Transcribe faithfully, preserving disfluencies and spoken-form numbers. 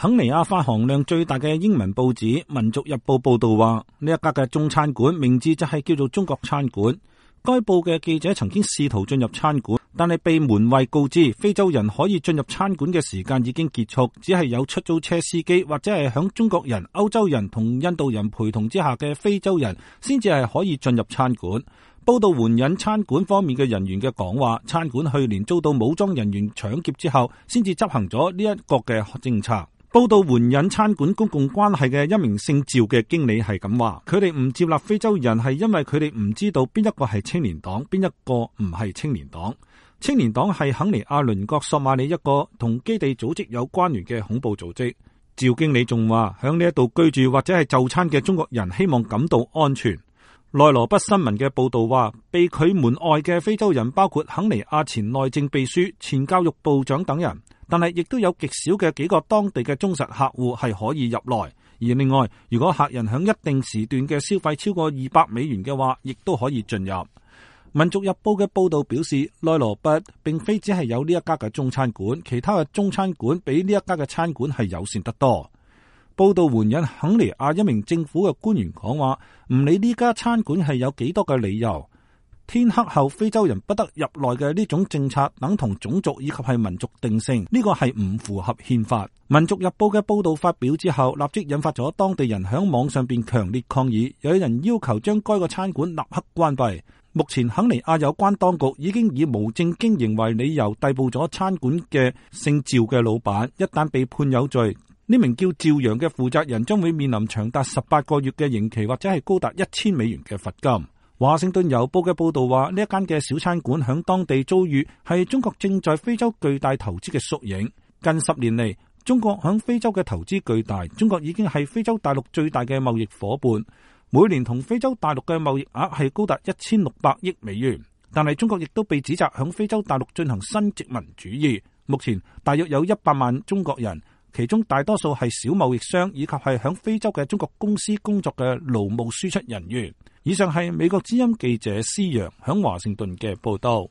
肯尼亞發行量最大嘅英文報紙《民族日報》報道話，呢一家嘅中餐館名字就係叫做中國餐館。該報嘅記者曾經試圖進入餐館，但係被門衛告知非洲人可以進入餐館嘅時間已經結束，只係有出租車司機或者係響中國人、歐洲人同印度人陪同之下嘅非洲人先至係可以進入餐館。報道援引餐館方面嘅人員嘅講話，餐館去年遭到武裝人員搶劫之後，先至執行咗呢一個嘅政策。報道援引餐館公共關係嘅一名姓趙嘅經理係咁話，佢哋唔接納非洲人係因為佢哋唔知道邊一個係青年黨，邊一個唔係青年黨。青年黨係肯尼亞鄰國索馬里一個同基地組織有關聯嘅恐怖組織。趙經理仲話，響呢一度居住或者係就餐嘅中國人希望感到安全。內羅畢新聞嘅報道話，被拒門外嘅非洲人包括肯尼亞前內政秘書、前教育部長等人，但係亦都有極少嘅幾個當地嘅忠實客戶係可以入來。而另外，如果客人響一定時段嘅消費超過二百美元嘅話，亦都可以進入。民族日報嘅報道表示，內羅畢並非只係有呢一家嘅中餐館，其他嘅中餐館比呢一家嘅餐館係友善得多。報道援引肯尼亞一名政府嘅官員講話，唔理呢家餐館係有幾多嘅理由，天黑後非洲人不得入內嘅呢種政策等同種族以及係民族定性，呢個係唔符合憲法。民族日報嘅報道發表之後，立即引發咗當地人響網上邊強烈抗議，有人要求將該個餐館立刻關閉。目前肯尼亞有關當局已經以無證經營為理由逮捕咗餐館嘅姓趙嘅老闆，一旦被判有罪，呢名叫趙陽嘅負責人將會面臨長達十八個月嘅刑期，或者係高達一千美元嘅罰金。華盛頓郵報嘅報道話，呢一間嘅小餐館響當地遭遇係中國正在非洲巨大投資嘅縮影。近十年嚟，中國響非洲嘅投資巨大，中國已經係非洲大陸最大嘅貿易夥伴，每年同非洲大陸嘅貿易額係高達一千六百億美元。但係中國亦都被指責響非洲大陸進行新殖民主義。目前大約有一百萬中國人，其中大多數係小貿易商以及係響非洲嘅中國公司工作嘅勞務輸出人員。以上係美國之音記者施陽響華盛頓嘅報道。